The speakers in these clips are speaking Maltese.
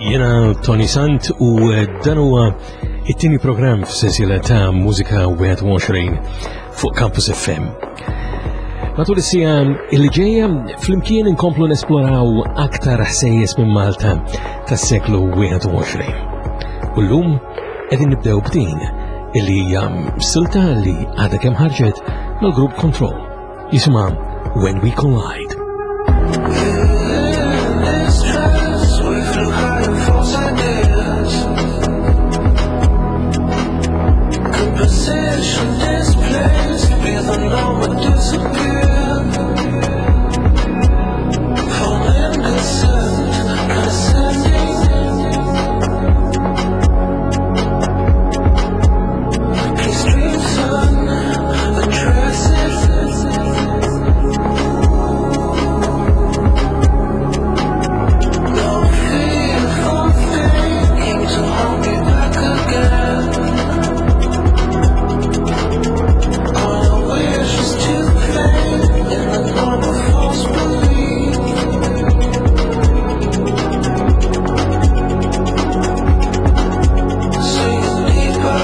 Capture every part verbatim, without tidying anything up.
Jena Tony Sant u dan huwa it-tieni programm f'sensiela ta' Mużika wieħed u għoxrin fuq Campus F M. Matul is-siegħa illi ġejja flimkien inkomplu nesploraw aktar ħsejjes minn Malta tas-seklu wieħed u għoxrin. U llum qegħdin nibdew b'din illi hija silta li għadha kemm ħarġet mal-grupp Control. Jisimha When We Collide. In this trance, we flew high in false ideas. Composition displaced, be the number disappear. Falling descent, ascending. Please dream sun, address it. No fearful thinking to hold me back again. All I wish is to fade in the form of false belief. Sink deeper.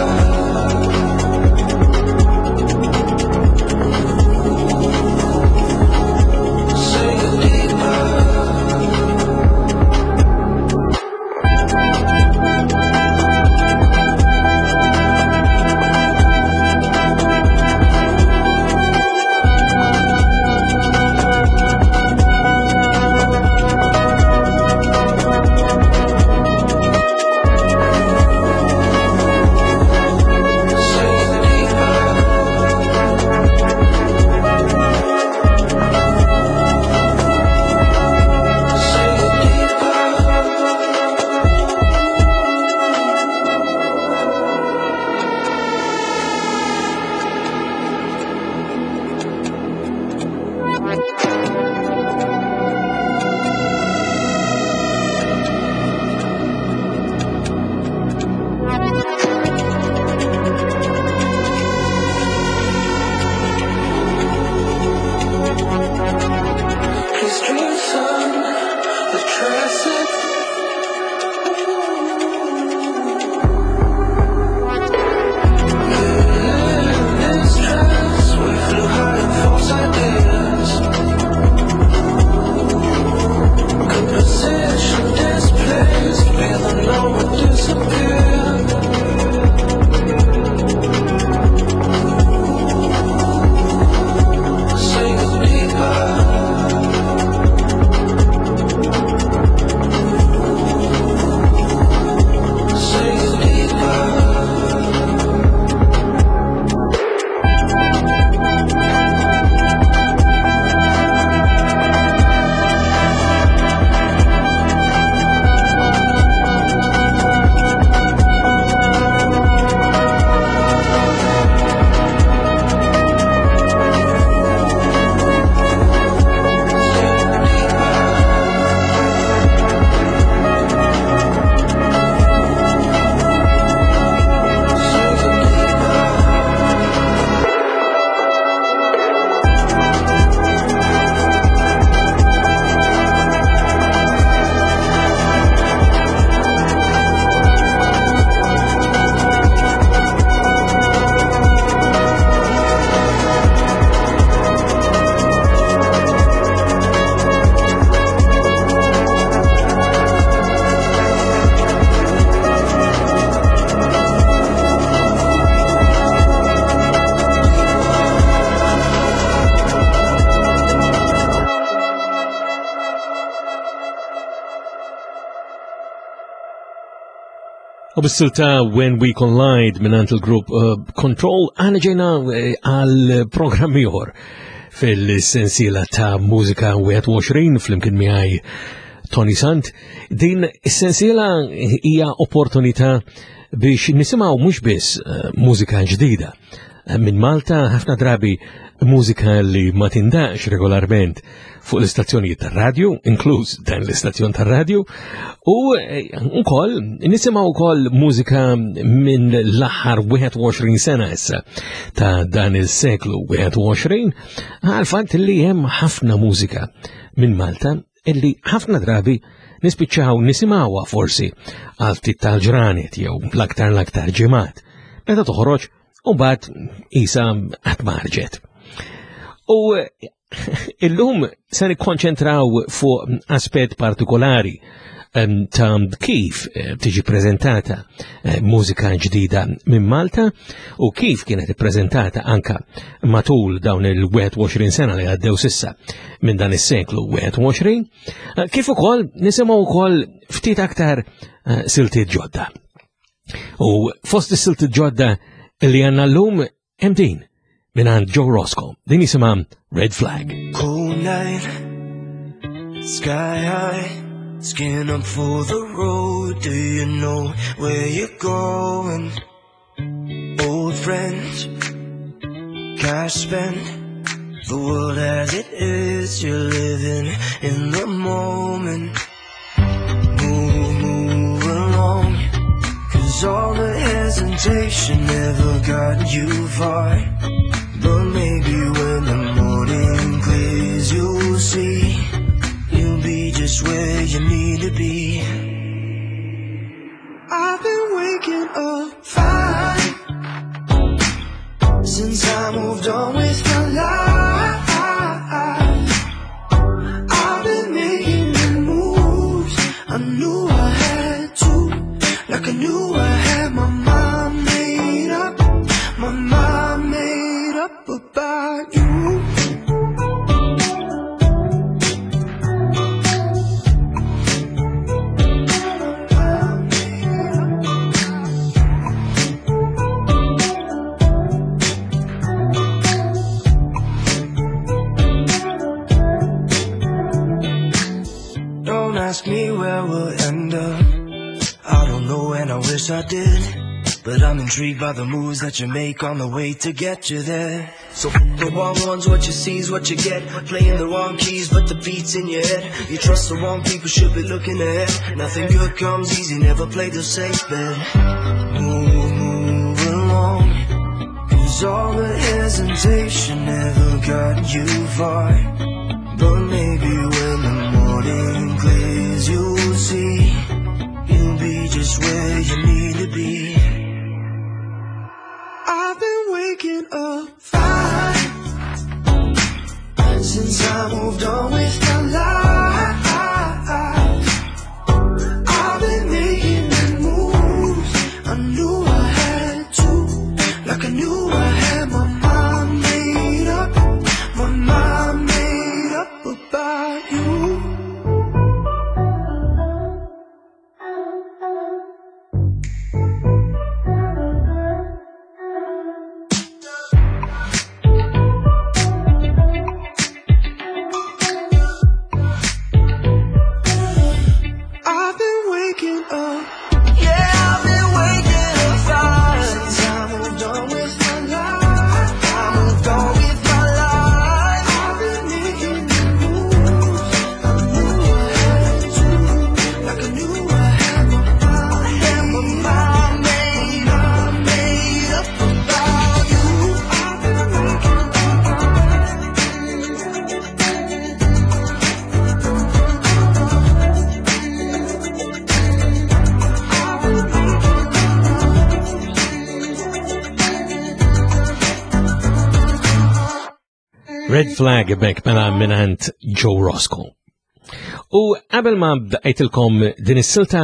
Sink deeper. Sink deeper. Sink deeper. Please dream sun, address it. In this trance, we flew high in false ideas. Composition displaced, be the number disappear. Sink deeper. Sink deeper. Sink deeper. Sink deeper. U bis-silta When We Collide mingħand il-grupp uh, Control għana ġejna eh, għal programm ieħor fil-sensiela ta' Mużika wieħed u għoxrin flimkien miegħi Tony Sant. Din is-sensiela hija opportunità biex nisimgħu mhux biss eh, mużika ġdida minn Malta, ħafna drabi mużika li ma tindaqqx regolarment fuq l-istazzjonijiet tar-radju, inkluż dan l-istazzjon tar-radju, u eh, ukoll nisimgħu wkoll mużika minn l-aħħar wieħed u għoxrin sena issa ta' dan il-seklu wieħed u għoxrin, għal fatt li hemm ħafna mużika minn Malta. illi ħafna drabi nispiċċaw nisimgħuha forsi għal ftit tal-ġranet jew l-aktar l-aktar ġimgħat meta toħroġ u mbagħad isa qatt ma ħarġet. U illum se nikkonċentraw fuq aspett partikolari ta' kif eh, tiġi prezentata eh, mużika ġdida minn Malta u kif kienet ippreżentata anka matul dawn il-wieħed u għoxrin sena li għaddew sissa minn dan is-seklu wieħed u għoxrin, eh, kif ukoll nisimgħu wkoll ftit aktar siltiet ġodda. U fost is-siltiet ġodda li għandna llum hemm din minn għand Joe Roscoe, din jisimha Red Flag. Cold night, sky high, skin up for the road. Do you know where you're going? Old friends, cash spent. The world as it is, you're living in the moment. Move, move along. 'Cause all the hesitation never got you far. But maybe when the morning clears, you'll see you'll be just where you need to be. I've been waking up fine since I moved on with my life. I've been making the moves I knew I had to, like I knew I had my mind made up, my mind made up about you. Don't ask me where we'll end up. I don't know and I wish I did. But I'm intrigued by the moves that you make on the way to get you there. So f the wrong ones, what you see is what you get. Playing the wrong keys, but the beat's in your head. You trust the wrong people, should be looking ahead. Nothing good comes easy, never play the safe bet. Move, move along. 'Cause all the hesitation never got you far. But maybe when the morning clears, you'll see you'll be just where you need to be. I've been waking up fine since I moved on with my life. I've been making the moves I knew I had to, like I knew I had my mind made up, my mind made up about you. I've been waking up. Yeah, I've been waking up fine since I moved on with my life. I moved on with my life. I've been making the moves I knew I had to, like I knew I had my mind, had my mind made up, made up about you. I've been waking up. Red Flag bek mela mingħand Joe Roscoe. U qabel ma bdajtilkom din is-silta,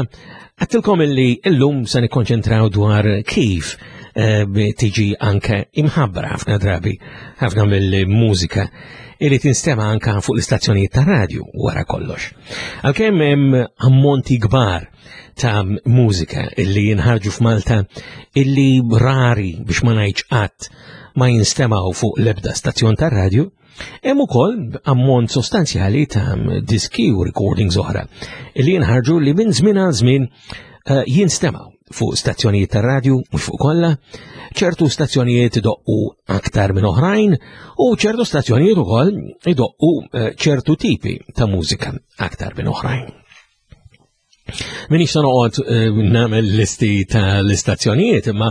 għedtilkom illi illum se nikkonċentraw dwar kif eh, tiġi anke imħabbra ħafna drabi ħafna mill-mużika illi tinstema anka fuq l-istazzjonijiet ta' radju wara kollox. Għalkemm hemm ammonti kbar ta' mużika illi jinħarġu f'Malta illi rari biex ma ngħidx qatt ma jinstemaw fuq l-ebda stazzjon ta' radju, hemm ukoll ammont sostanzjali ta' diski u recordings oħra illi jinħarġu li minn żmien għal żmien eh, jinstemaw fuq stazzjonijiet ta' radju, mhux fuq kollha, ċertu stazzjonijiet idoqqu aktar minn oħrajn u ċertu stazzjonijiet ukoll idoqqu eh, ċertu tipi ta' mużika aktar minn oħrajn. Minix ta' noqgħod eh, nagħmel listi ta' l-istazzjonijiet, imma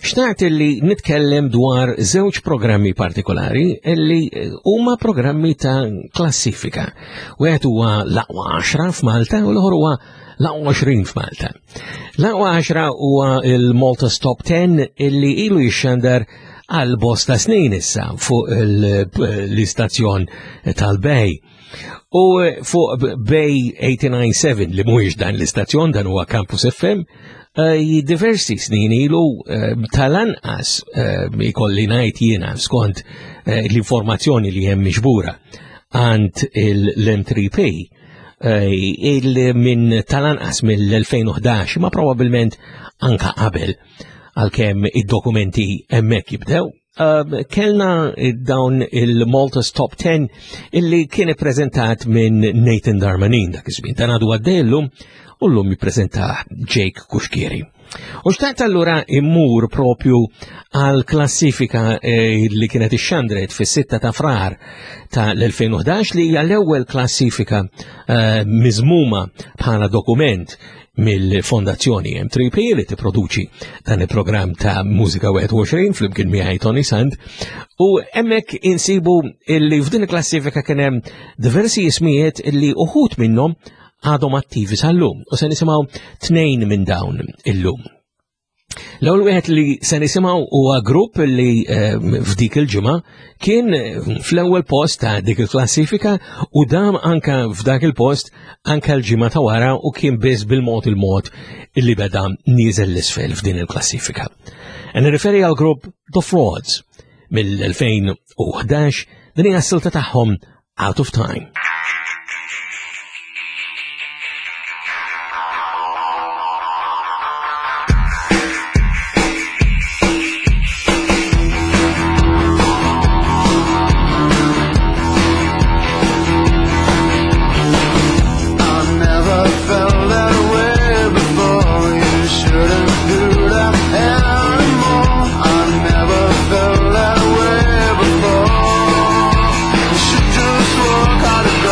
xtaqt li nitkellem dwar żewġ programmi partikolari illi eh, huma programmi ta' klassifika. Wieħed huwa l-aqwa għaxra f'Malta u l-ieħor huwa l-aqwa għoxrin f'Malta. L-aqwa għaxra huwa il-Malta's Top ten illi ilu jixxandar għal bosta snin issa fuq l-istazzjon tal-Bay. U fuq Bay eighty-nine seven li mhuwiex dan l-istazzjon, dan huwa Campus F M, eh, diversi snin ilu, eh, tal-anqas, eh, ikolli ngħid jiena skont, eh, l-informazzjoni li hemm miġbura għand l-M three P, eh, il minn tal-anqas mill-elfejn u ħdax, ma probabbilment anka qabel, għalkemm id-dokumenti hemmhekk jibdew. Um, kellna dawn il-Malta's Top ten illi kien ippreżentat minn Nathan Darmanin dak iż-żmien. Dan għadu għaddej illum u llum jippreżenta Jake Cuschieri. U xtaqt allura immur propju għal klassifika, eh, li kienet ixxandret fis-sitta ta' Frar ta' l-elfejn u ħdax, li hija l-ewwel klassifika, eh, miżmuma bħala dokument mill-Fondazzjoni M three P li tipproduċi dan il-programm ta' Mużika wieħed u għoxrin flimkien miegħi Toni Sant. U hemmhekk insibu illi f'din il-klassifika kien hemm diversi ismijiet illi uħud minnhom għadhom attivi sal-lum, u se nisimgħu tnejn minn dawn illum. L-ewwel wieħed li se nisimgħu huwa grupp li, eh, f'dik il-ġimgħa kien fl-ewwel post ta' dik il-klassifika u dam anka f'dak il-post anka l-ġimgħa ta' wara u kien biss bil-mod il-mod illi beda nieżel l-isfel f'din il-klassifika. E nirriferi għal grupp The Frauds mill-elfejn u ħdax, din hija s-silta tagħhom Out of Time. Just walk out of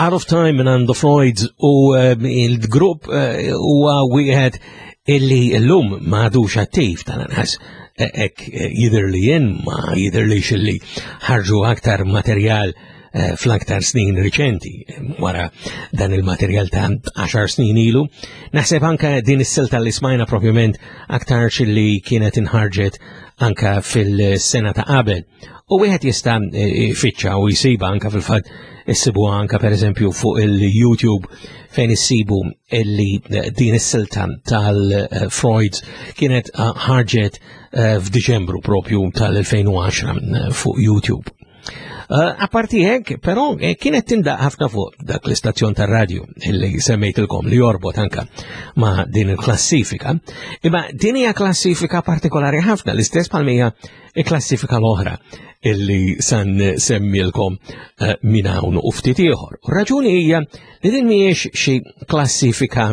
Out of Time minn The Freuds u eh, il-grupp eh, huwa wieħed illi llum m'għadux attiv tal-anqas hekk jidher li jien ma jidhirlix illi ħarġu aktar materjal eh, fl-aktar snin riċenti wara dan il-materjal ta' għaxar snin ilu. Naħseb anka din is-silta li smajna propjament aktar li kienet inħarġet anka fil-sena ta' qabel. U wieħed jista' ifittxa u jsiba anka fil-fatt issibuha anka pereżempju fuq il-YouTube fejn issibu illi din is-silta tal-Freuds kienet ħarġet eh, f'Diċembru propju tal-elfejn u għaxra fuq YouTube. Eh, apparti hekk, però, eh, kienet tindaq ħafna fuq dak l-istazzjon tar-radju illi semmejtilkom li jorbot anka ma' din il-klassifika. Imma din hija klassifika partikolari ħafna, l-istess bħalmija il-klassifika l-oħra illi san semmilkom, eh, minn hawn u ftit ieħor. U raġuni hija li din mhijiex xi klassifika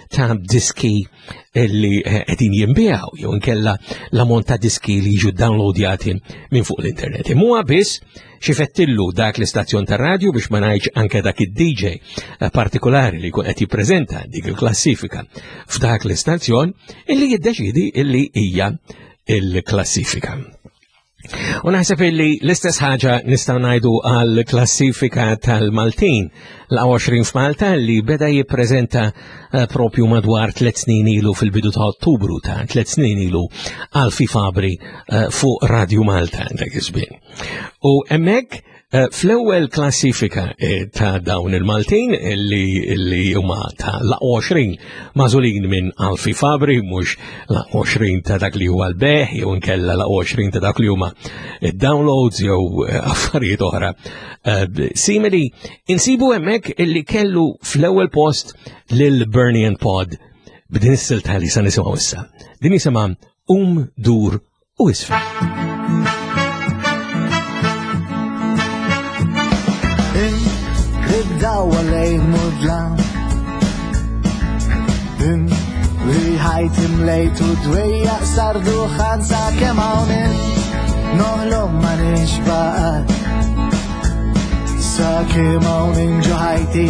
ta' diski illi, eh, qegħdin jinbiegħu jew inkella l-ammont ta' diski li jiġu downloadjati minn fuq l-internet. Imma biss xi fettillu dak l-istazzjon tar-radju biex ma ngħidx anke dak id-D J, eh, partikolari li jkun qed jippreżenta dik il-klassifika f'dak l-istazzjon illi jiddeċidi illi hija il-klassifika. U naħseb illi l-istess ħaġa nistgħu ngħidu għal klassifika tal-Maltin l-għoxrin f'Malta li beda jippreżenta, eh, propju madwar tliet snin ilu fil-bidu ta' Ottubru ta' tliet snin ilu Alfie Fabri, eh, fuq Radio Malta dak iż-żmien. U hemmhekk, eh, fl-ewwel klassifika, eh, ta' dawn il-Maltin li, li huma ta' l-għoxrin magħżulin minn Alfie Fabri, mhux l-għoxrin ta' dak li huwa l-beħ jew inkella l-għoxrin ta' dak li huma downloads jew, eh, affarijiet oħra, eh, simili, insibu hemmhekk illi kellu fl-ewwel post lil Bernie and Pod b'din is-silta li se nisimgħu issa. Din jisimha Um Dur u Isfel. Id-dawa lejn mudlam. In li ħajt imlejt u dwejjaq sar duħan sa kemm hawn int. Noħlom ma nixbaqat. Sa kemm hawn int ġo ħajti.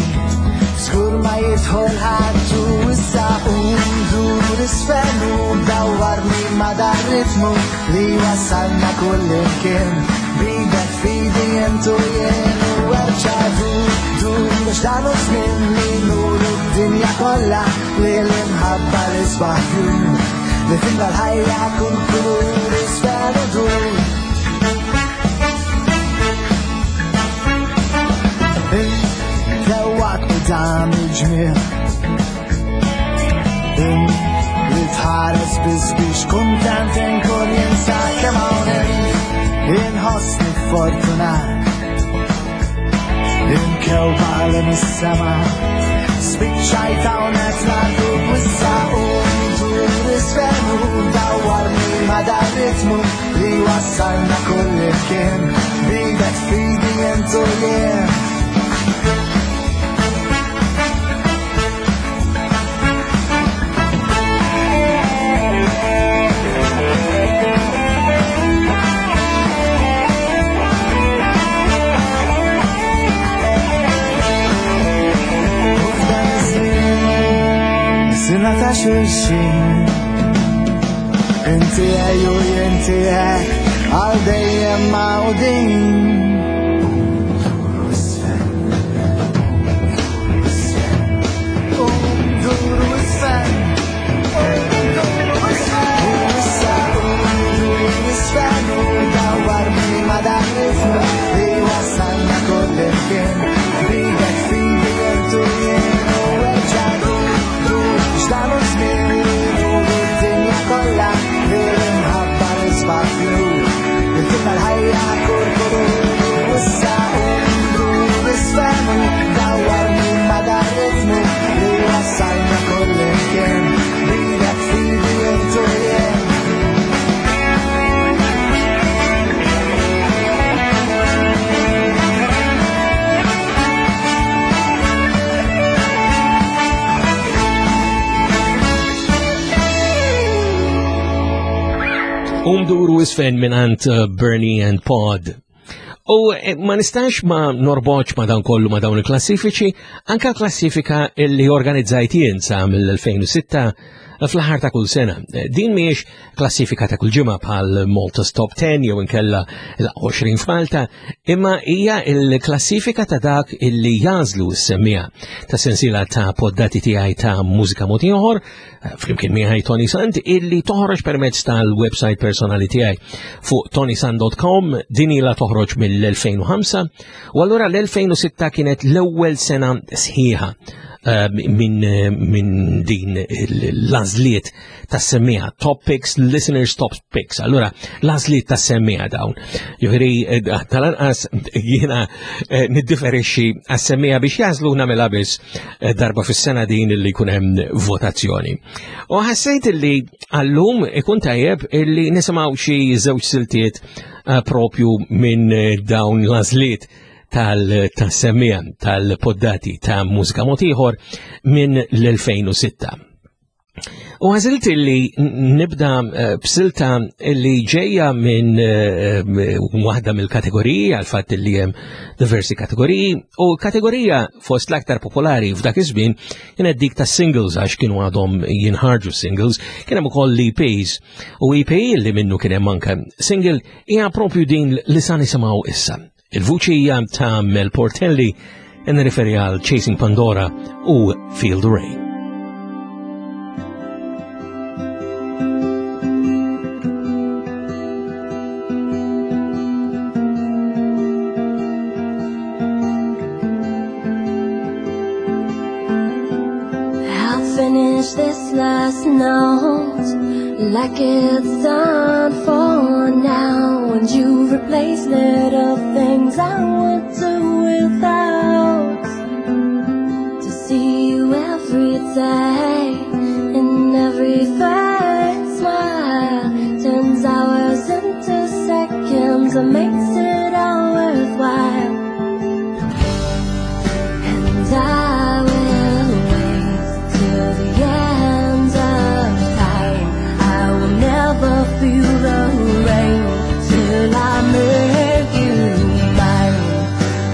Żgur ma jidħol ħadd u issa qum dur isfel u dawwarni ma dar ritmu li wasalna kull imkien. Bidek fidi int u jien u erġa' dur, dur biex dan hu żmien li nuru d-dinja kollha li l-imħabba l-isbaħ jum li timla l-ħajja kull kulur isfel u dur. Dewwaqt u dan il-ġmiel li tħares biss biex kuntent inkun jinsa kemm hawn int. Inħossni fortunat inkewba li mis-sema spiċċajt hawnhekk l-ardu issa u ndur isfel u dawwarni ma' dar ritmu li wassalna kull imkien. Bidek fidi int u jien. Sina ta' xulxin, inti għaj u inti hekk, għal dejjem mawdin. Um Dur u Isfen minn għand, uh, Bernie and Pod. U eh, ma nistax ma norboċ ma dawn kollu ma dawn il-klassifiċi, anka klassifika li organizzajt jien sa mill-elfejn u sitta fl-aħħar ta' kull sena. Din mhijiex klassifika ta' kull ġimgħa bħal Malta's Top ten jew inkella l-għoxrin f'Malta, imma hija l-klassifika ta' dak illi jażlu s-semmija ta' sensiela ta' poddati tiegħi ta' mużika mod ieħor, flimkien miegħi Toni Sant, illi toħroġ permezz tal-website personali tiegħi fuq toni sant dot com. Din ilha toħroġ mill-elfejn u ħamsa, u allura l-elfejn u sitta kienet l-ewwel sena sħiħa minn, minn din l-għażliet tas-semmija, top picks, listeners top picks. Allura l-għażliet tas-semmija dawn. Jiġifieri tal-anqas jiena, eh, niddiferixxi għas-semmija biex jażlu nagħmilha biss, eh, darba fis-sena din li jkun hemm votazzjoni. U ħassejt li għallum ikun tajjeb illi nisimgħu xi żewġ siltiet, eh, propju minn dawn l-għażliet tal-semmija tal-poddati ta' mużika mod ieħor minn l-elfejn u sitta. U għażilt li nibda, eh, b'silta li ġejja minn, eh, waħda mill-kategoriji, għal fatt li hemm diversi kategoriji, u kategorija fost l-aktar popolari f'dak iż-żmien kienet dik ta' singles, għax kienu għadhom jinħarġu singles, kien hemm ukoll E Ps, u E P li minnu kien hemm anke single hija propju din li sa nisimgħu issa. Il-vuċi hija ta' Mel Portelli, nirriferi għal Chasing Pandora u Feel the Rain. I'll finish this last note like it's done for now, and you replace little things I would do without. To see you every day in every third smile turns hours into seconds and makes it all worthwhile. And I will wait till the end of time. I will never feel the rain till I make you mine.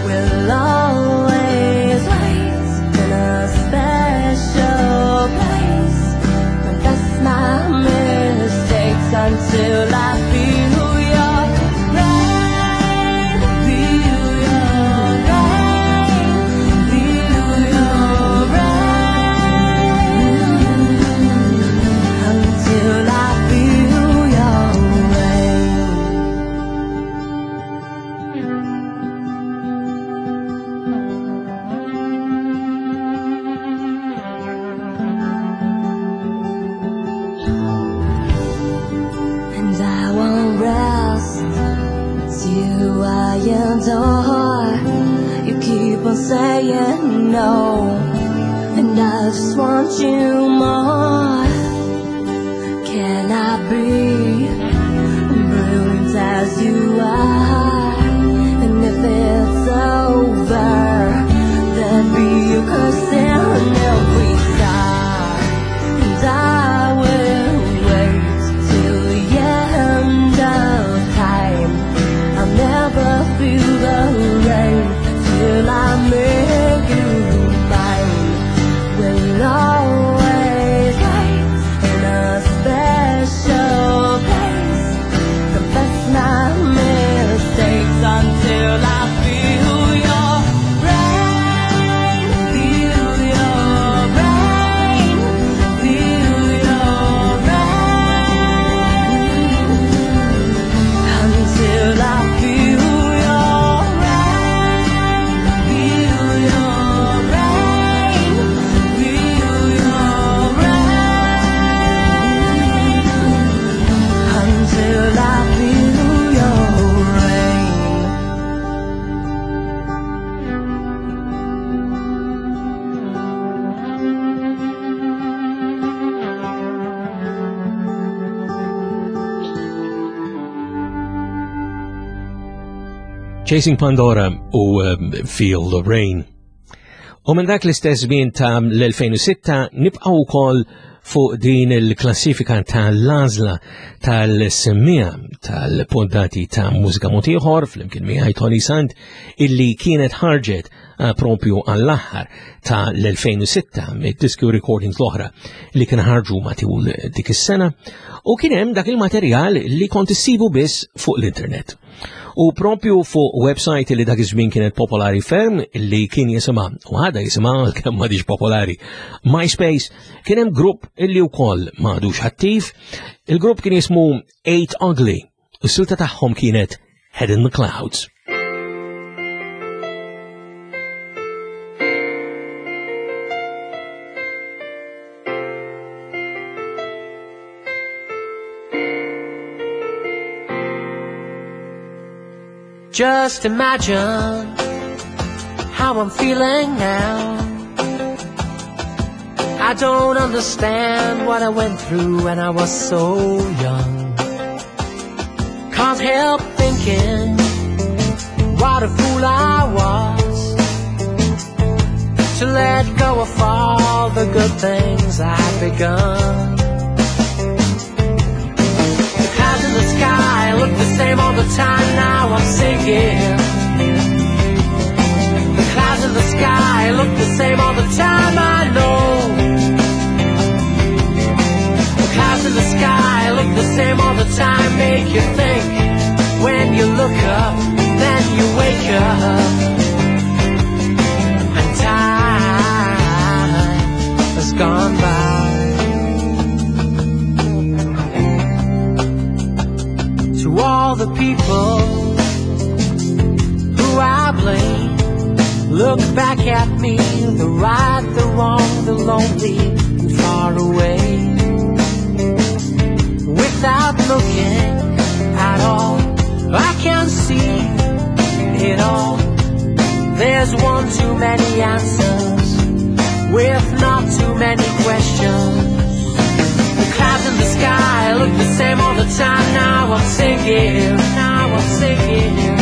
We'll always wait in a special place. Confess my mistakes until I feel your rain, feel your rain, feel your rain, until I feel your rain. And I won't rest till I adore. You keep on saying no, and I just want you more. Can I be brilliant as you are? And if it's over, there'd be a curse in every star. And I will wait till the end of time. I'll never feel the rain till I make you mine. We'll always wait in a special place. Confess my mistakes until I feel your rain, feel your rain, feel your rain, until I feel your rain, feel your rain, feel your rain, until I feel your rain. Chasing Pandora u, um, Feel the Rain. U minn dak l-istess żmien ta' l-elfejn u sitta nibqgħu wkoll fuq din il-klassifika tal-għażla tal-semmija tal-poddati ta' Mużika Mod Ieħor flimkien miegħi Toni Sant illi kienet ħarġet eh, propju għall-aħħar ta' l-elfejn u sitta mid-diski recordings l-oħra li kien ħarġu matul dik is-sena, u kien hemm dak il-materjal li kont issibu biss fuq l-internet. U propju fuq website li dak iż-żmien kienet popolari ferm li kien jisimha, u għadha jisimha kemm m'għadix popolari, MySpace, kien hemm grupp illi wkoll m'għadux attiv. Il-grupp kien jismu Eight Ugly u s-silta tagħhom kienet Head in the Clouds. Just imagine how I'm feeling now. I don't understand what I went through when I was so young. Can't help thinking what a fool I was to let go of all the good things I'd begun. The clouds in the sky look the same all the time, now I'm sinking. The clouds in the sky look the same all the time, I know. The clouds in the sky look the same all the time, make you think. When you look up, then you wake up. And time has gone by. To all the people who I blame, look back at me, the right, the wrong, the lonely, and far away. Without looking at all, I can see it all. There's one too many answers, with not too many questions. The clouds in the sky look the same all the time, now I'm sinking, now I'm sinking.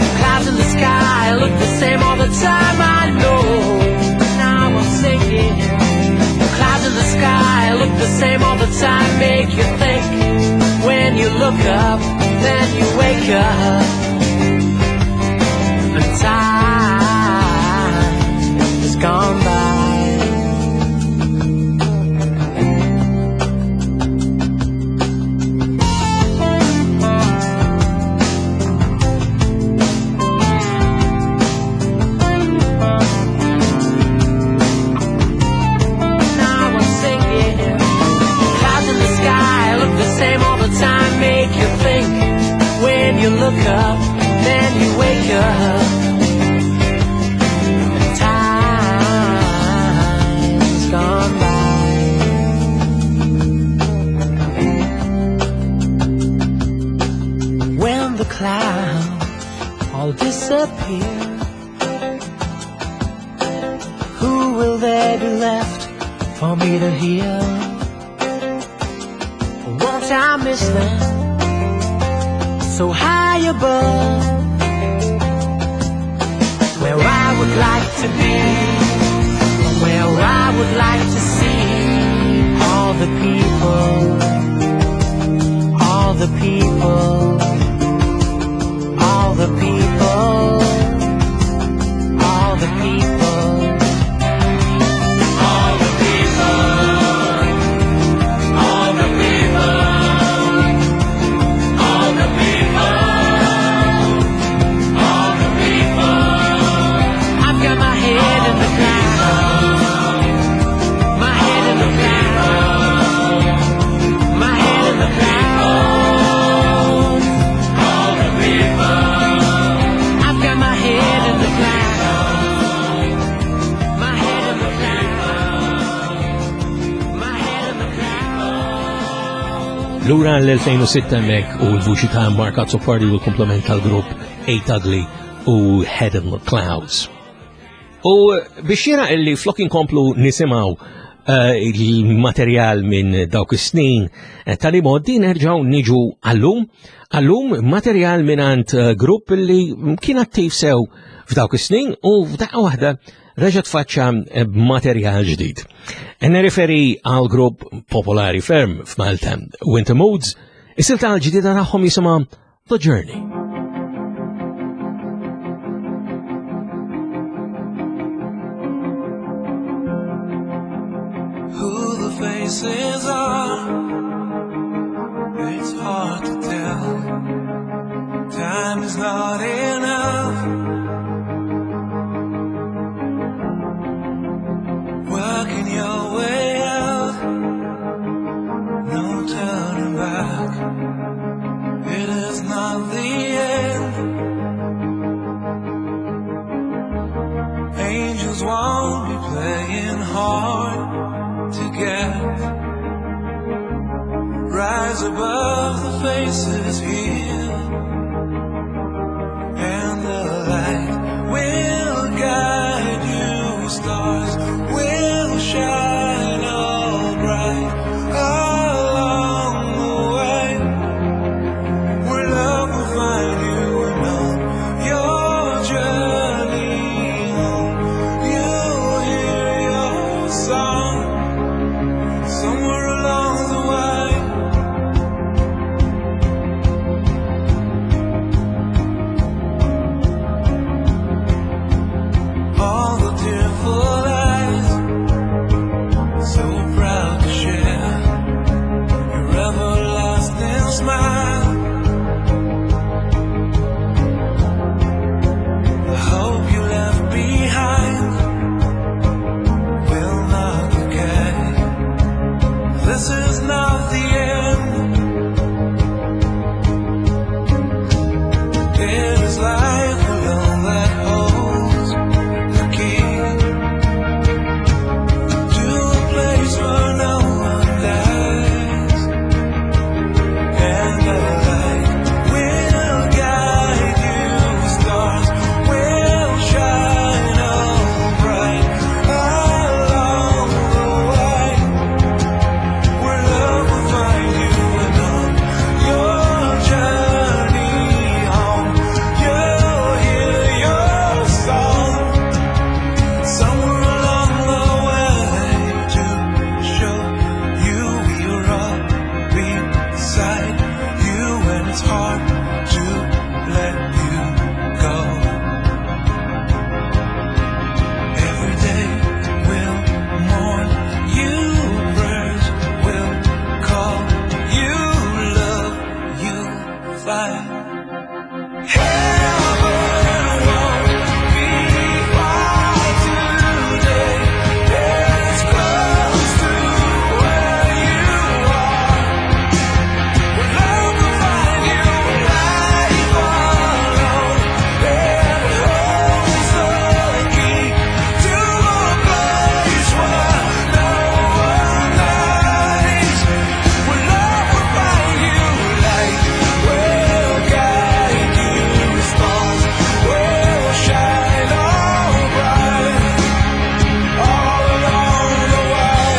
The clouds in the sky look the same all the time, I know, now I'm sinking. The clouds in the sky look the same all the time, make you think. When you look up, then you wake up. And time has gone by. You look up, then you wake up. And time's gone by. When the clouds all disappear, who will there be left for me to hear? Won't I miss them? So high above, where I would like to be, where I would like to see all the people, all the people, all the people, all the people, all the people, all the people, all the people, all the people. I've got my head in the clouds, my head in the clouds, my head in the clouds, all the people. I've got my head in the clouds, my head in the clouds, my head in the clouds. Lura l-elfejn u sitta mek u l-vuċi ta' Mark Azzopardi u l-komplement tal-grupp Eight Ugly u Head in the Clouds. U biex jera illi flok inkomplu nisimaw, eh, il-materjal minn dawk is-snin, eh, tal-imoddi nerġaw niġu għallum, għallum materjal minn għand, eh, grupp li kien attiv sew f'dawk is-snin u f'daqqa waħda reġa' tfaċċa b'materjal ġdid. Nirreferi għal grupp popolari ferm f'Malta, Winter Moods, is-silta l-ġdida tagħhom jisimha The Journey. Who the faces are, it's hard to tell. Time is not enough. Working your way out, no turning back. It is not the end. Angels won't be playing hard to get. Rise above the faces here, and the light will guide you. Stars will shine all bright along the way. Where love will find you and on your journey home. You'll hear your song somewhere along the way. All the tearful eyes, so proud to share your everlasting smile. The hope you left behind will not decay. This is not the end. It is life alone that holds the key to a place where no one dies, and the light will guide you. Stars will shine all bright along the way. Where love will find you and on your journey home. You'll hear your song somewhere along the way to show you we are all beside you when it's hard to let you go. Every day will mourn you, prayers will call you, love you find. Heaven won't be far today. It's close to where you are. Where love will find you, life alone. It holds the key to a place where no one dies. Where love will find you, light will guide you. Stars will shine all bright all along the way.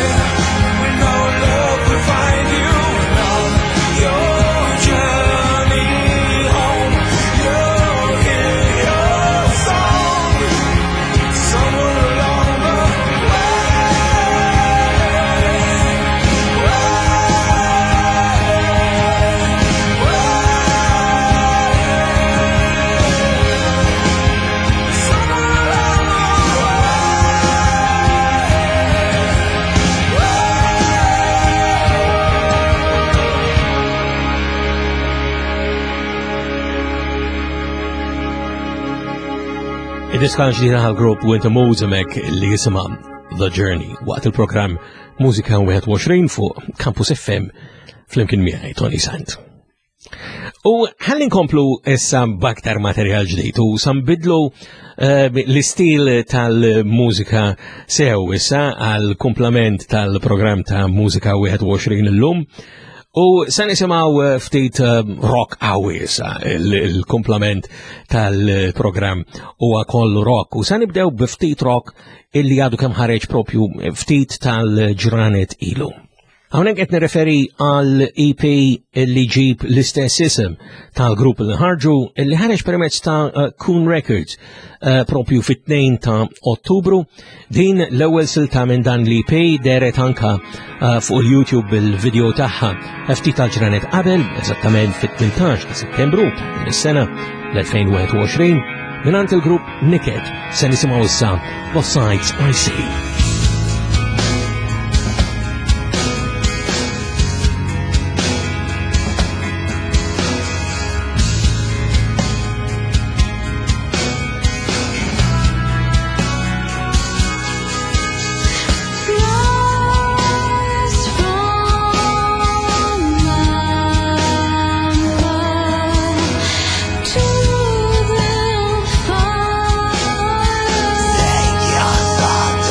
We know love will find you and on your journey home. You'll hear your song somewhere along the way. Somewhere along the Id-diska ġdida għal-grupp Winter Moods hemmhekk li jisimha The Journey waqt il-programm Mużika wieħed u għoxrin fuq Campus F M flimkien miegħi Toni Sant. U ħalli nkomplu issa b'aktar materjal ġdid u sa nbiddlu eh, l-istil tal-mużika sew issa għal komplement tal-programm ta' Mużika wieħed u għoxrin illum. U sa nisimgħu eh, ftit eh, rock qawwi issa, il-komplement tal-programm huwa kollu rock. U sa nibdew b'ftit rock illi għadu kemm ħareġ propju ftit tal-ġranet ilu. Hawnhekk qed nirreferi għal E P li ġib l-istess isem tal-grupp li ħarġu, li ħareġ permezz ta' uh, Coon Records uh, propju fit-tnejn ta' Ottubru. Din l-ewwel silta minn dan l-E P dehret anka uh, fuq il-YouTube bil-video tagħha ftit tal-ġranet qabel, eżattament fit-tmintax ta' Settembru ta' din is-sena l-elfejn u wieħed u għoxrin. Mingħand il-grupp Niket se nisimgħu issa The Sights I See. Rise from amber to the fire. Take your thoughts.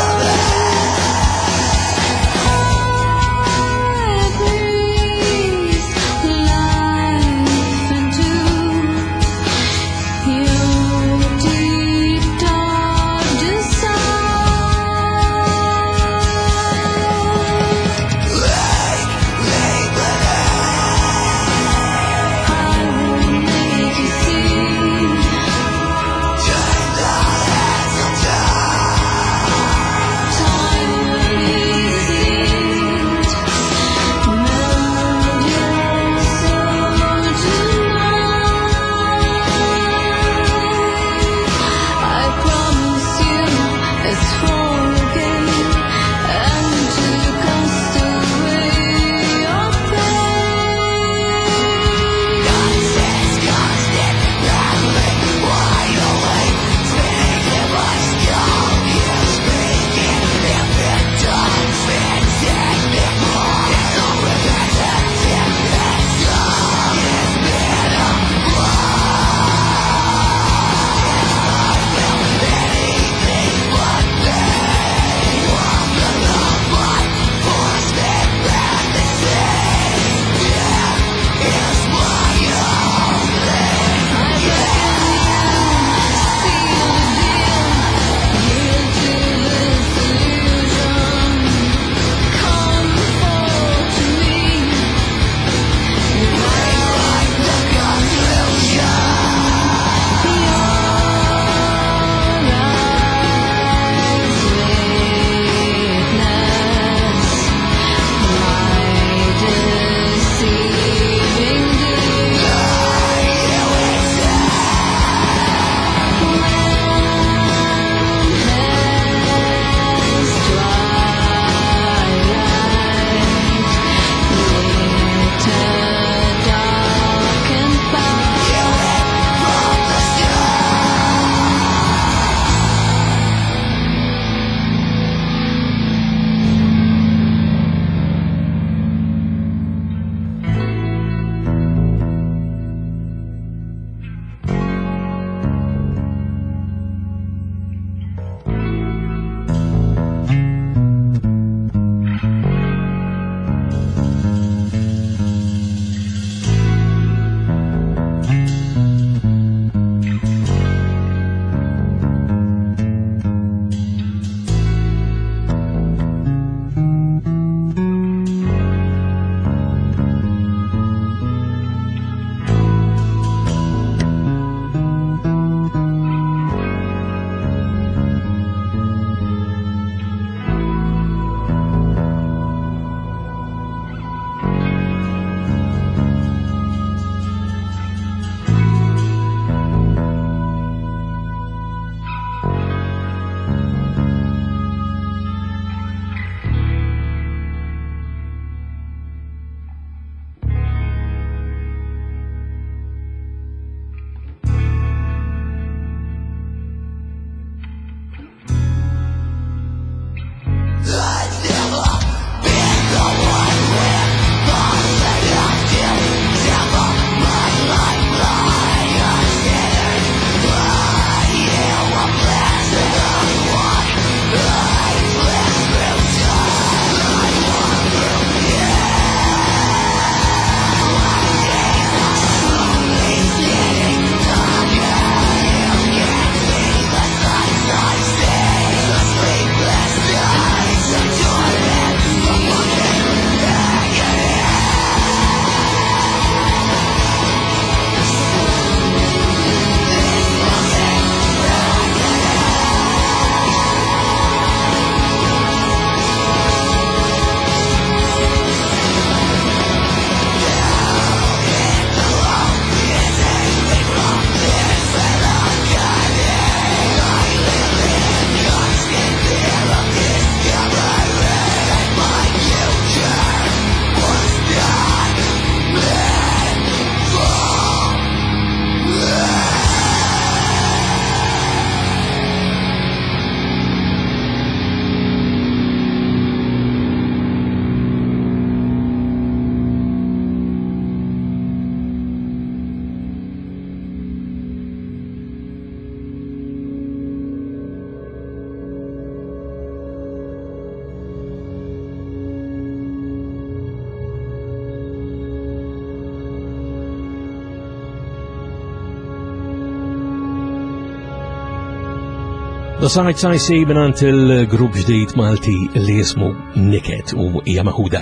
The Sights I See mingħand il-grupp ġdid Malti li jismu Niket u hija maħuda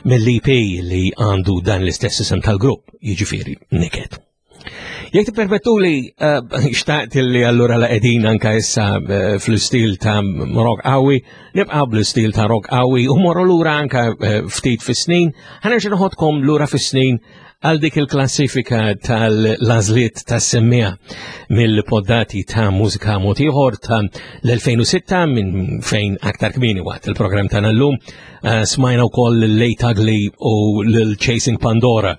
mill-E P li għandu dan l-istess isem tal-grupp, jiġifieri Niket. Jekk tippermettuli, eh, xtaqt li allura la qegħdin anka issa eh, fl-istil ta' rock qawwi, nibqa' bl-istil ta' rock qawwi u morru lura anka eh, ftit fis-snin, ħa nerġa' noħodkom lura fis-snin għal dik il-klassifika tal-għażliet tas-semmiegħa mill-poddati ta' Mużika Mod Ieħor ta' l-elfejn u sitta, minn fejn aktar kmieni waqt il-programm ta' llum uh, smajna wkoll l-Late Ugly u l-Chasing Pandora.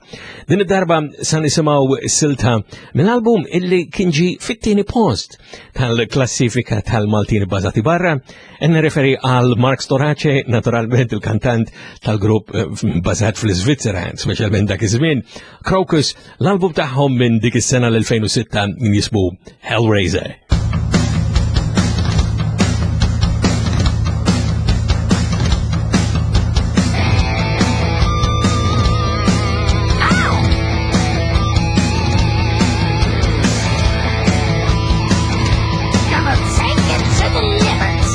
Din id-darba sa nisimgħu silta mill-album illi kien ġie fit-tieni post tal-klassifika tal-Maltin bbażati barra, nirreferi għal Mark Storace, naturalment il-kantant tal-grupp eh, bażat fl-Svizzera, speċjalment dak iż-żmien, Krokus. L-album tagħhom minn dik is-sena l-elfejn u sitta jismu Hellraiser. Gonna take it to the limit.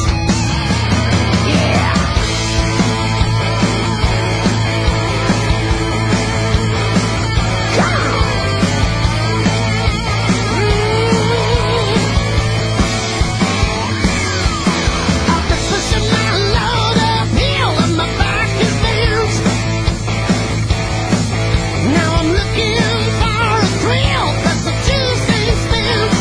Yeah. Come on. Mm. I've been pushing my load uphill and my back is bent. Now I'm looking for a thrill, 'cause the juice ain't spent.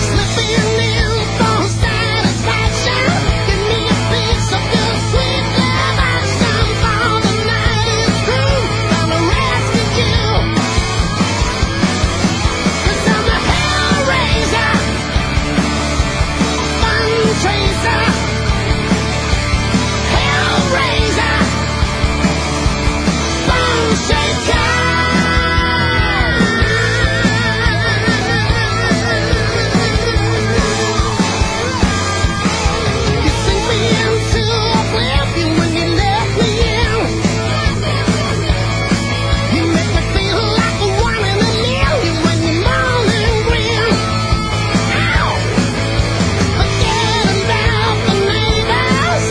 Slipping in for satisfaction. Give me a piece of your sweet love action. For the night is through, gonna rescue you. 'Cause I'm a hellraiser, fun chaser, hellraiser, bone shaker. You sink me into oblivion when you let me in. You make me feel like a one in a million when you moan and grin. Ow! Forget about the neighbors,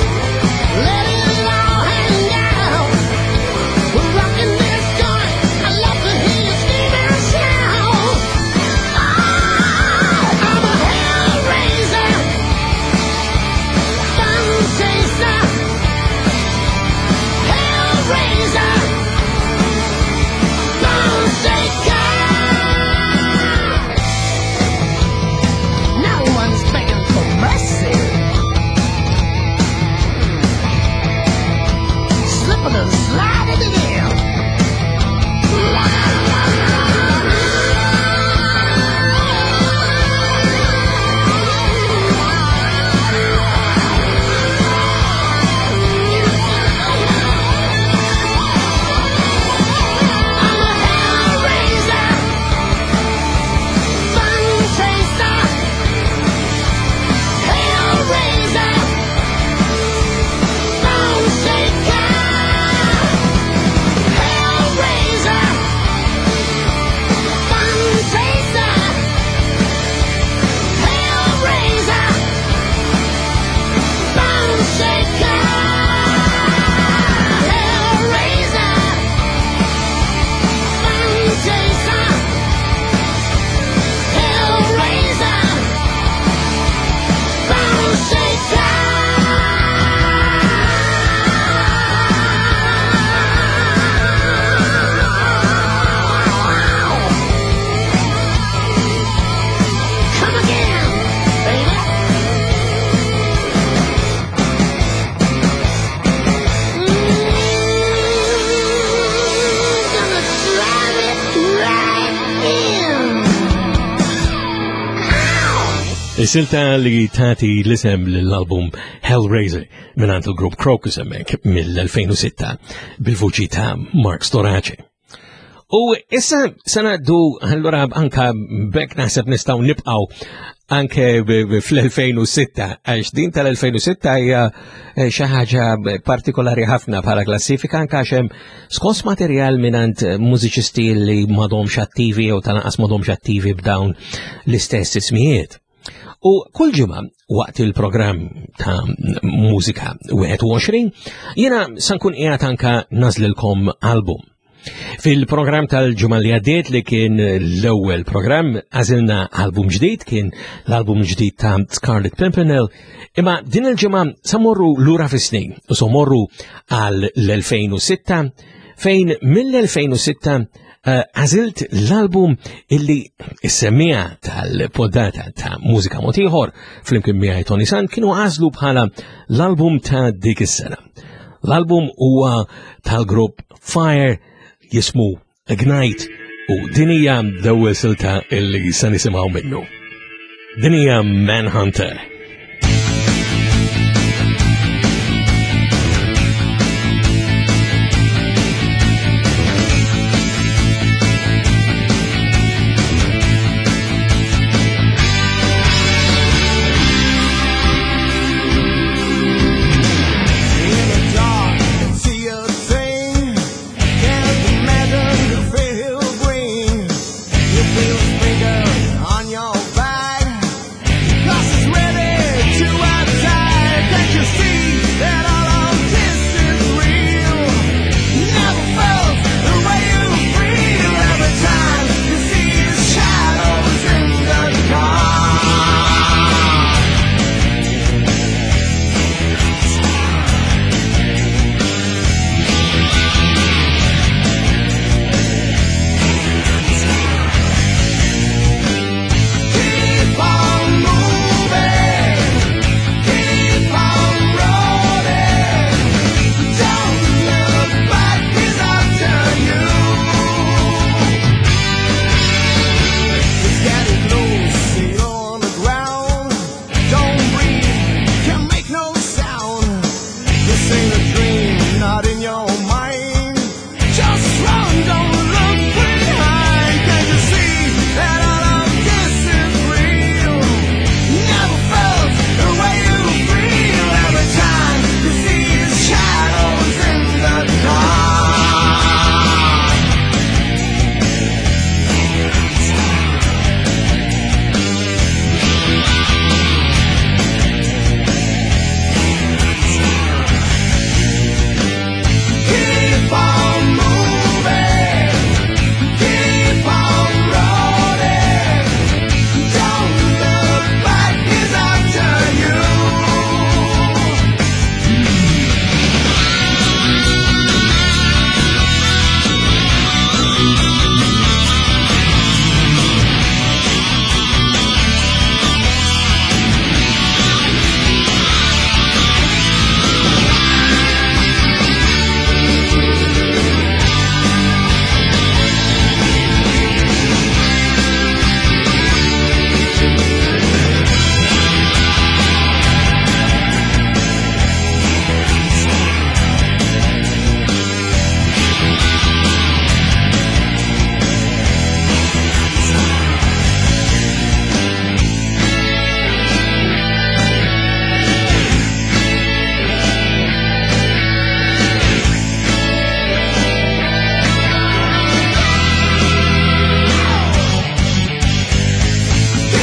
let it all hang out. We're rocking this joint. I love to hear you scream and shout. Oh, I'm a hellraiser, fun chaser, hellraiser, bone shaker. No one's begging for mercy. Slipping and sliding it in. I'm a hellraiser, fun chaser, hellraiser, bone shaker, hellraiser, fun chaser, hellraiser, bone shaker, hellraiser. Fun chaser, hellraiser, bone shaker. Come again, baby. Mm, gonna drive it right in. Is-silta li tati l-isem l-album Hellraiser mingħand il-grupp Krokus hemmhekk mill-elfejn u sitta bil-vuċi ta' Mark Storace. U issa se ngħaddu allura anka bekk naħseb nistgħu nibqgħu anke b- b- fl-elfejn u sitta, għax din tal-elfejn u sitta hija eh, xi ħaġa partikolari ħafna bħala klassifika, anke għax hemm skos materjal mingħand mużiċisti li m'għadhomx attivi jew tal-anqas m'għadhomx attivi b'dawn l-istess ismijiet. U kull ġimgħa waqt il-programm ta' Mużika wieħed u għoxrin jiena sa nkun qiegħed anka nagħżlilkom album. Fil-programm tal-ġimgħa li għaddiet, li kien l-ewwel programm, għażilna album ġdid, kien l-album ġdid ta' Scarlet Pimpernel, imma din il-ġimgħa sa mmorru lura fis-snin u sa mmorru għal l-elfejn u sitta, fejn mill-elfejn u sitta eh, għażilt l-album illi is-semmiegħa tal-poddata ta' Mużika Mod Ieħor flimkien miegħi Toni Sant kienu għażlu bħala l-album ta' dik is-sena. L-album huwa tal-grupp Fire, jismu Ignite, u din hija l-ewwel silta illi se nisimgħu minnu. Din hija Manhunter. In the dark, see a thing. Can't imagine the fear he'll bring. You feel sprinkle on your back, 'cause it's ready to attack. Can't you see that all of this is real? Never felt the way you feel every time you see the shadows in the dark. Keep on moving, keep on rolling. Don't look back, he's after you. It's getting close, you're on the ground. Don't breathe, can't make no sound. This ain't a dream, not in your mind. Just run, don't look behind. Can't you see that all of this is real? Never felt the way you feel every time you see the shadows in the dark. Keep on moving, keep on rolling. Don't look back, he's after you.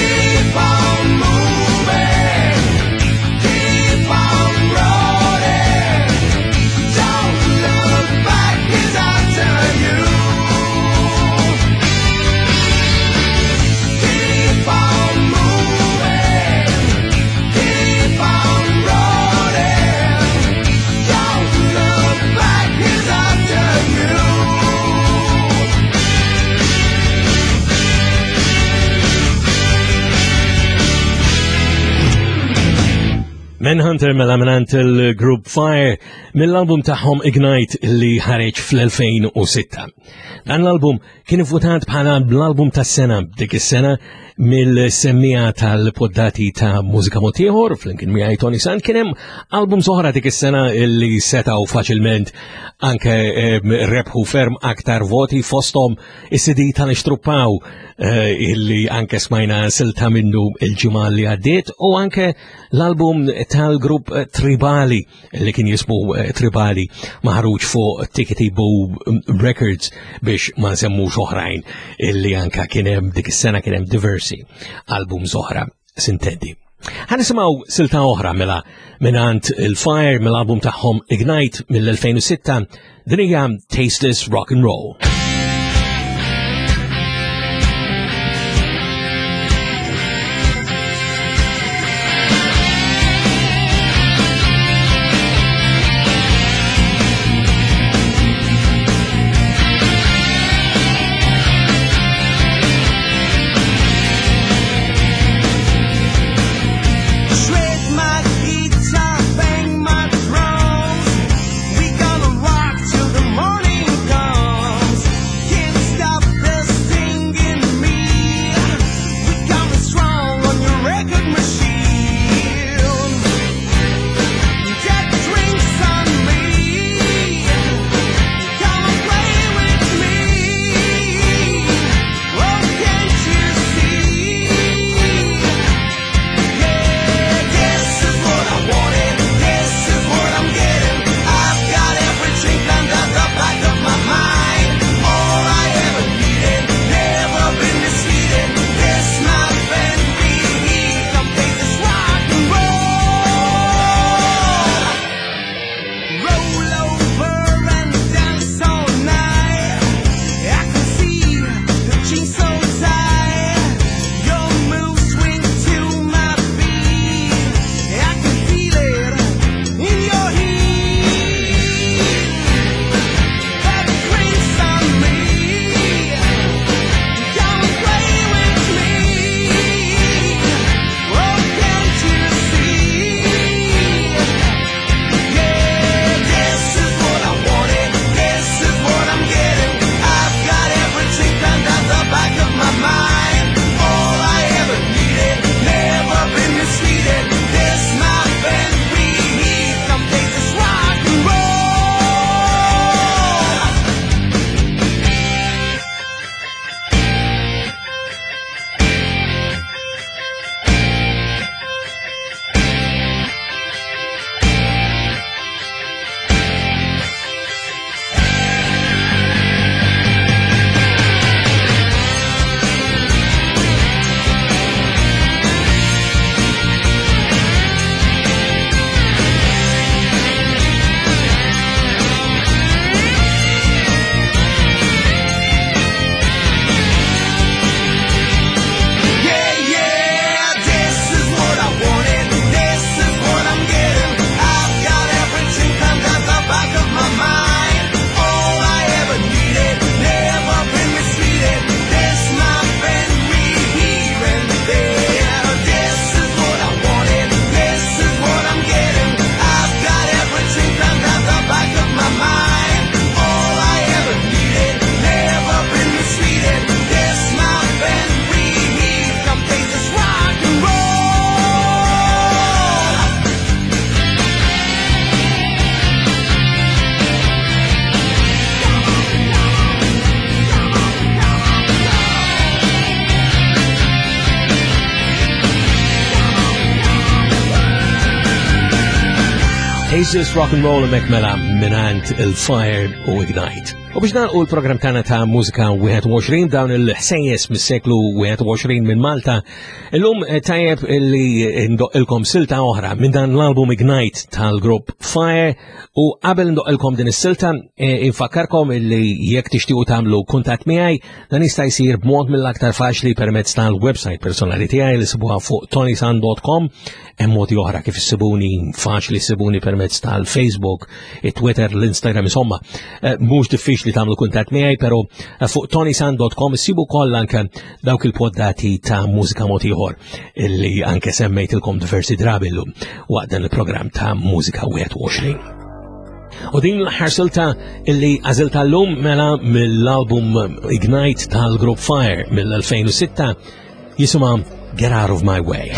Keep on moving, keep on rolling. Don't look back, he's after you. Keep on moving, keep on rolling. Don't look back, he's after you. Manhunter mela mingħand il-Group Fire mill-album tagħhom Ignite li ħareġ fl-elfejn u sitta. Dan l-album kien votat bħala l-album tas-sena dik is-sena mill-semmiegħa tal-poddati ta' Mużika Mod Ieħor flimkien miegħi Toni Sant. Kien hemm album oħra dik is-sena li setgħu faċilment anke eh, rebħu ferm aktar voti, fosthom is-C D tal-Ixtruppaw eh, illi anke smajna silta minnu il-ġimgħa li għaddiet, u anke l-album tal-grupp Tribali li kien jismu eh, Tribali, maħruġ fuq Tickety Boo Records, biex ma nsemmux oħrajn illi anka kien hemm dik is-sena. Kien hemm diversi albums oħra. sintendi. Ħa nisimgħu silta oħra mela mingħand il-Fire mill-album tagħhom Ignite mill-elfejn u sitta, din hija Tasteless Rock and Roll. Tasteless Rock and Roll hemmhekk mela mingħand il-Fire u Ignite. U biex nagħlqu l-programm tagħna ta' Mużika wieħed u għoxrin dawn il-ħsejjes mis-seklu wieħed u għoxrin minn Malta, illum tajjeb illi ndoqqilkom silta oħra minn dan l-album Ignite tal-grupp Fire. U qabel ndoqqilkom din is-silta, e, infakkarkom illi jekk tixtiequ tagħmlu kuntatt miegħi, dan jista' jsir b'mod mill-aktar faċli permezz tal-website personali tiegħi li sibuha fuq tony sant dot com. Hemm modi oħra kif issibuni, faċli ssibuni permezz tal-Facebook, it-Twitter, l-Instagram, insomma, eh, mhux diffiċli tagħmlu kuntatt miegħi, però, eh, fuq tony sant dot com issibu kollha anke dawk il-poddati ta' mużika mod ieħor illi anke semmejtilkom diversi drabi llum waqt dan il-programm ta' Mużika wieħed u għoxrin. U din l-aħħar silta illi għażilta llum mela mill-album Ignite tal-Group Fire mill-elfejn u sitta jisimha Get Out of My Way.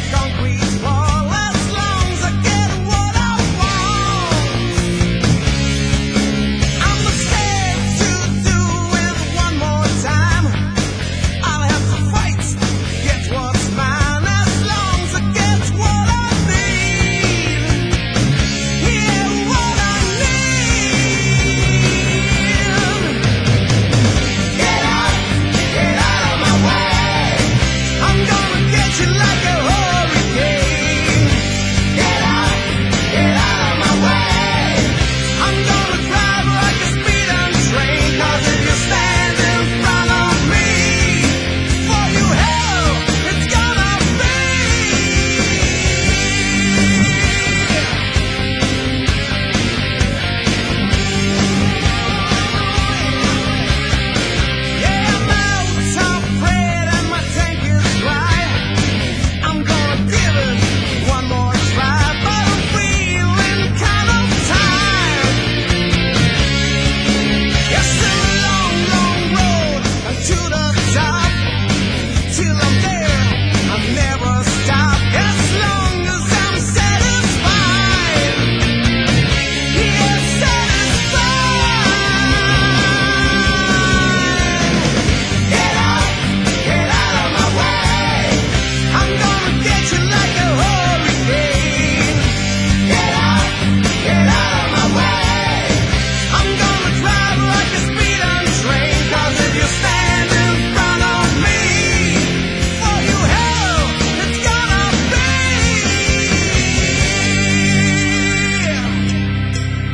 Concrete wall as long as I get what I want.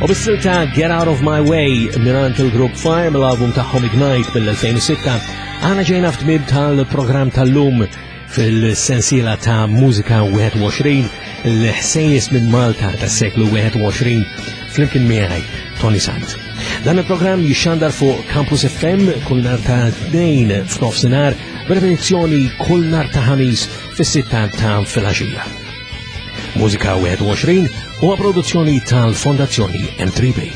U bis-silta Get Out of My Way mingħand il-Group Fire mill-album tagħhom Ignite mill-elfejn u sitta, aħna ġejna f'tmiem tal-programm tal-lum fil-sensiela ta' Mużika wieħed u għoxrin, l-ħsejjes minn Malta tas-seklu wieħed u għoxrin flimkien miegħi Toni Sant. Dan il-programm jixxandar fuq Campus F M kull nhar ta' tnejn f'nofsinhar, b'repetizzjoni kull nhar ta' ħamis fis-sitta ta' filgħaxija. Mużika wieħed u għoxrin huwa produzzjoni tal-Fondazzjoni M tre B.